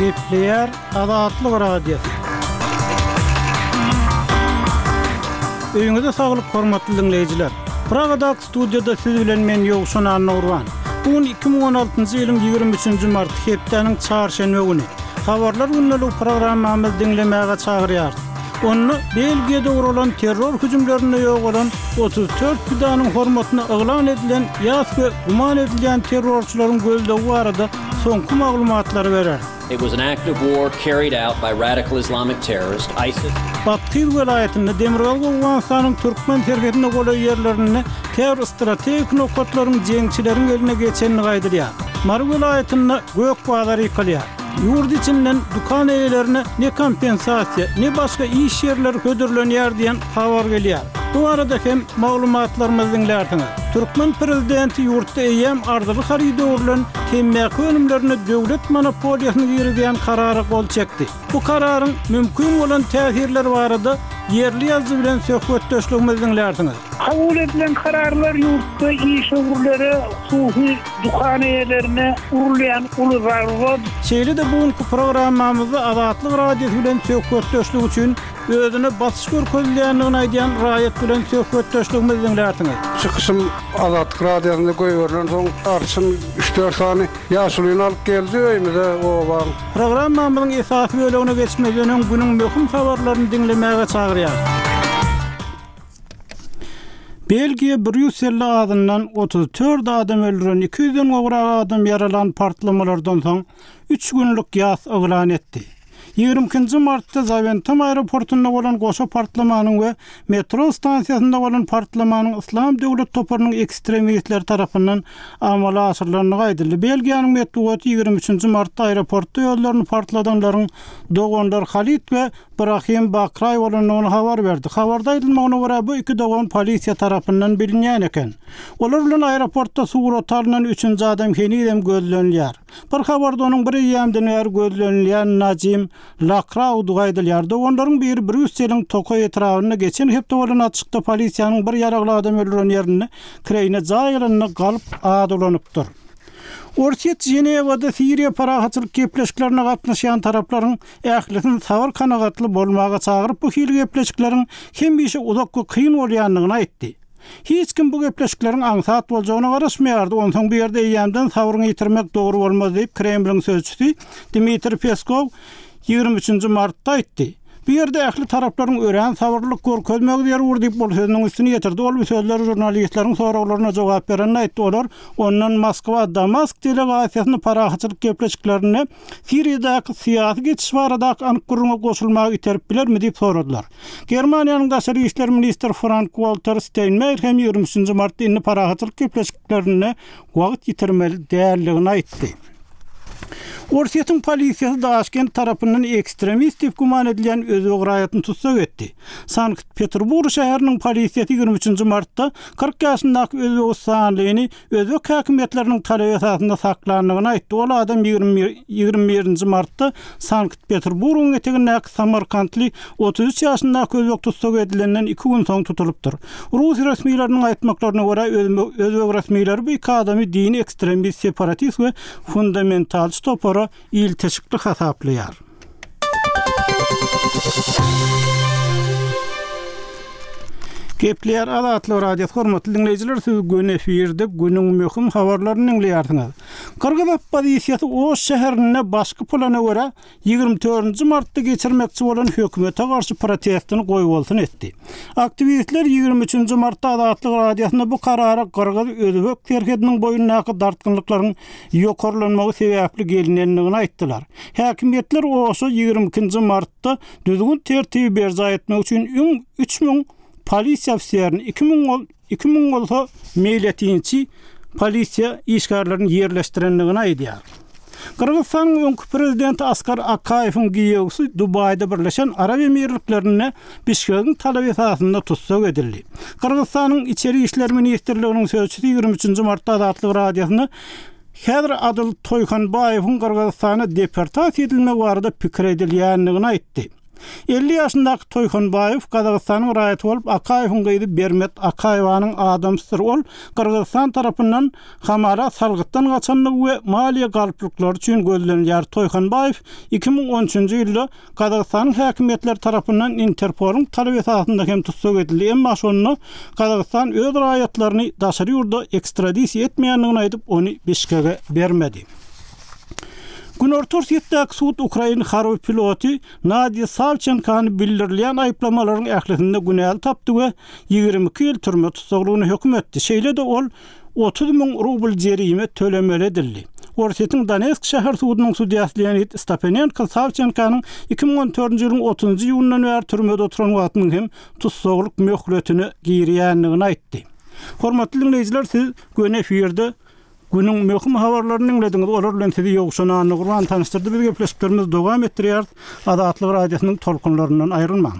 Gepleýär Azatlyk Radiosy. Öýüňize saglyk hormatly diňleýjiler. Pragadaky studiýada siz bilen men Ýowşan Annagurban. Bu gün 2016-njy ýylyň 23-nji marty hepdäniň çarşenbe güni. Habarlar gündeligi programmamyzy diňlemäge çagyrýarys. Onda Belgiýada guralan terror hüjümlerinde ýogalan 34 pidanyň hormatyna yglan edilen ýas we güman edilýän terrorçylaryň gözlegi barada soňky maglumatlary berer. It was an act of war carried out by radical Islamic terrorist ISIS. Bathyz welaýatynda, Demirgazyk Owganystanyň türkmen serhedine golaý ýerlerinde käbir strategik nokatlaryň jeňçileriň eline geçendigi aýdylýar. Mary welaýatynda gök bazar ýykylýar. Ýurt içinden dükan eýelerine ne kompensasiýa, ne başga iş ýerleri hödürlenýär diýen habar gelýär. Bu barada hem maglumatlarymyzy diňlärsiňiz. Türkmen prezidenti ýurtda eýýäm arzyly haryda öwrülen temmäki önümlerine döwlet monopoliýasyny girizýän karara gol çekdi. Bu kararyň mümkin bolan täsirleri barada ýerli ýazyjy bilen söhbetdeşligimizi diňlärsiňiz. Kabul edilen kararlar ýurtda işewürlere, hususy dükan eýelerine urulýan uly zarba. Şeýle-de bu günki programmamyzda Azatlyk Radiosy bilen söhbetdeşlik üçin Özüne basyş görkezilýändigini aýdýan raýat bilen söhbetdeşligimizi diňlärsiňiz. Çykyşym Azatlyk Radiosynda goýberilensoň, arçyn üç-dört sany ýaşulyny alyp geldi öýümize, obaň. Programmamyzyň esasy bölegine geçmezden öň günüň möhüm habarlaryny diňlemäge çagyrýarys. Belgiýa Brýusselde azyndan 34 adam öldüren, 200 den gowrak adam ýaralan partlamalardan soň üç günlük ýas yglan etdi. 22-nji martda Zawentem aeroportunda bolan goşa partlamanyň we metro stansiýasynda bolan partlamanyň Yslam döwlet toparynyň ekstremistleri tarapyndan amala aşyrylandygy aýdyldy. Belgiýanyň metbugaty 23-nji martda aeroportda özlerini partladanlaryň doganlar Halid we Brahim Bakraý bolandygyny habar berdi. Habarda aýdylmagyna görä, bu iki dogan polisiýa tarapyndan bilinýän eken. Olar bilen aeroportda surata alnan üçünji adam henizem gözlenilýär. Bir habarda onuň bir eýýämden bäri gözlenilýän Najim Lakraudygy aýdylýar. Doganlaryň biri Brýusseliň Tokaý etrabynda geçen hepde bolan atyşykda polisiýanyň bir ýaragly adam öldüren ýerinde kireýine jaý alanda galp ad ulanypdyr. Orsýet Ženewada Siriýa parahatçylyk gepleşiklerine gatnaşýan taraplaryň ählisini sabyr-kanagatly bolmaga çagyryp, bu hili gepleşikleriň hemişe uzak we kyn bolýandygyny aýtdy. Hiç kim bu gepleşikleriň aňsat boljagyna garaşmaýardy, onsoň bu ýerde eýýämden sabryňy ýitirmek dogry bolmaz diýip, Kremliň sözçüsi Dmitriý Peskow 23 nji martda aýtdy. Bu ýerde ähli taraplaryň örän sabyrlylyk görkezmegi zerur diýip, ol sözüniň üstüni ýetirdi. Ol bu sözleri žurnalistleriň soraglaryna jogap berende aýtdy. Olar ondan Moskwa Damask delegasiýasyny parahatçylyk gepleşiklerinde Siriýadaky syýasy geçiş baradaky anyk gürrüňe goşulmaga iterip bilermi diýip soradylar. Germaniýanyň daşary işler ministri Frank-Walter Steinmeier hem 23 nji martda indi parahatçylyk gepleşiklerinde wagt ýitirmeli däldigini aýtdy. Orsýetiň polisiýasy Daşkent tarapyndan ekstremist diýip güman edilýän özbek raýatyny tussag etdi. Sankt-Peterburg şäheriniň polisiýasy 23 nji martda 40 ýaşyndaky özbegistanlyny özbek häkimiýetleriniň talaby esasynda saklandygyny aýtdy. Ol adam 21 nji martda Sankt-Peterburgyň etegindäki samarkantly 33 ýaşyndaky özbek tussag edilenden iki gün soň tutulypdyr. Rus resmileriniň aýtmaklaryna görä, özbek resmileri bu iki adamy dini ekstremist, separatist we fundamentalçy topara ilteşikli hasaplaýar. Gepleýär Azatlyk Radiosy hormatly diňleýjiler siz göni efirde günüň möhüm habarlaryny diňleýärsiňiz. Gyrgyz oppozisiýasy Oş şäherinde başky plana görä 24-nji martda geçirmekçi bolan hökümete garşy protestini goýbolsun etdi. Aktiwistler 23-nji martda Azatlyk Radiosynda bu karara gyrgyz-özbek serhediniň boýundaky dartgynlyklaryň ýokarlanmagy sebäpli gelinendigini aýtdylar. Häkimiýetler Oşa 22-nji martda düzgün-tertibi berjaý etmek üçin öň 3000 polisiýa ofiserini, 2000 2000 bolsa meýletinçi polisiýa işgärlerini ýerleşdirendigini aýdýar. Gyrgyzystanyň öňki prezidenti Askar Akaýewiň giýewsi Dubaýda Birleşen Arap Emirliklerinde Bişkegiň talaby esasynda tussag edildi. Gyrgyzystanyň Içeri işler ministrliginiň sözçüsi 23 nji martda Azatlyk Radiosyna häzir Adyl Toýhanbaýewiň Gyrgyzystana deportasiýa edilmegi barada pikir edilýändigini aýtdy. 50 ýaşyndaky Toýhanbaýew Gazagystanyň raýaty bolup, Akaýewiň gyzy Bermet Akaýewanyň adamsydyr. Ol Gyrgyzystan tarapyndan hamala salgytdan gaçandygy we maliýe galplyklary üçin gözlenilýär. Toýhanbaýew 2013-nji ýylda Gazagystanyň häkimiýetleri tarapyndan Interpolyň talaby esasynda hem tussag edildi, emma şonda Gazagystan öz raýatlaryny daşary ýurda ekstradisiýa etmeýändigini aýdyp, ony Bişkege bermedi. Günorta Orsýetdäki sud ukrain harby piloty Nadiýa Sawçenkany bildirilýän aýyplamalaryň ählisinde günäli tapdy we 22 ýyl türme tussaglygyna höküm etdi. Şeýle-de ol 30 müň rubl jerime tölemeli edildi. Orsýetiň Donetsk şäher sudunyň sudýasy Leonid Stapenenko Sawçenkanyň 2014-nji ýylyň otuzynjy iýunyndan bäri türmede oturan wagtynyň hem tussaglyk möhletine girýändigini aýtdy. Hormatly diňleýjiler, siz göni efirde Günüň möhüm habarlaryny diňlediňiz. Olar bilen sizi Ýowşan Annagurban tanyşdyrdy. Biz gepleşiklerimizi dowam etdirýäris. Azatlyk Radiosynyň tolkunlaryndan aýrylmaň.